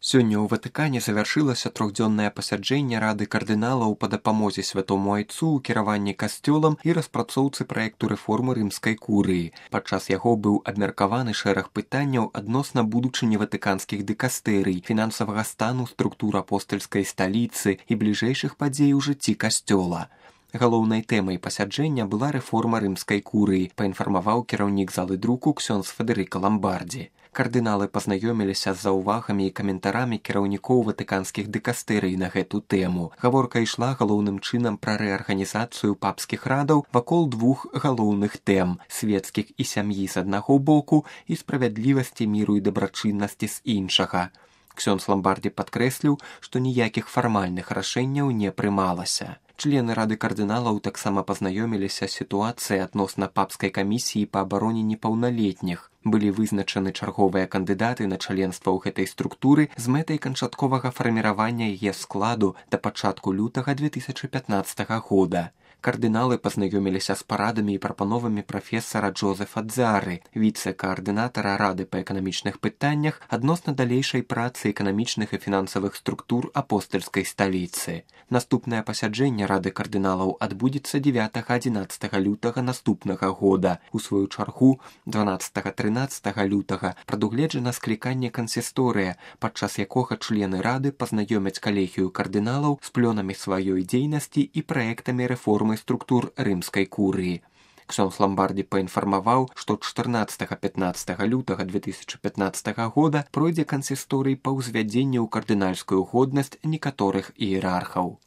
Сёння ў Ватыкане завяршылася трохдзённае пасяджэнне Рады кардыналаў па дапамозе святому айцу ў кіраванні касцёлам і распрацоўцы праекту рэформы рымскай курыі. Падчас яго быў абмеркаваны шэраг пытанняў адносна будучыні ватыканскіх дыкастэрый, фінансавага стану структур апостальскай сталіцы і бліжэйшых падзей у жыцці касцёла. Галоўнай тэмай пасяджэння была рэформа рымскай курыі, паінфармаваў кіраўнік залы друку ксёндз Федэрыка Ламбардзі. Кардыналы пазнаёміліся з заўвагамі і каментарамі кіраўнікоў ватыканскіх дыкастэрый на гэту тэму. Гаворка ішла галоўным чынам пра рэарганізацыю папскіх радаў вакол двух галоўных тэм – свецкіх і сям'і з аднаго боку і справядлівасці, міру і дабрачыннасці з іншага. Ксёндз Ламбардзі падкрэсліў, што ніякіх фармальных рашэнняў не прымалася. Члены Рады кардыналаў таксама пазнаёміліся з сітуацыяй адносна папскай камісіі па абароне непаўналетніх. Былі вызначаны чарговыя кандыдаты на членства ў гэтай структуры з мэтай канчатковага фарміравання яе складу да пачатку лютага 2015 года. Кардыналы пазнаёміліся з парадамі і прапановамі прафесара Джозефа Дзары, віцэ-каардынатара Рады па эканамічных пытаннях адносна далейшай працы эканамічных і фінансавых структур апостальскай сталіцы. Наступнае пасяджэнне Рады кардыналаў адбудзецца 9-11 лютага наступнага года. У сваю чаргу 12-13 лютага прадугледжана скліканне кансісторыя, падчас якога члены Рады пазнаёмяць калегію кардыналаў з плёнамі сваёй дзейнасці і праектамі рэформы структур рымскай курыі. Ксёндз Ламбардзі паінфармаваў, што 14-15 лютага 2015 года пройдзе кансісторый па ўзвядзенні ў кардынальскую годнасць некаторых іерархаў.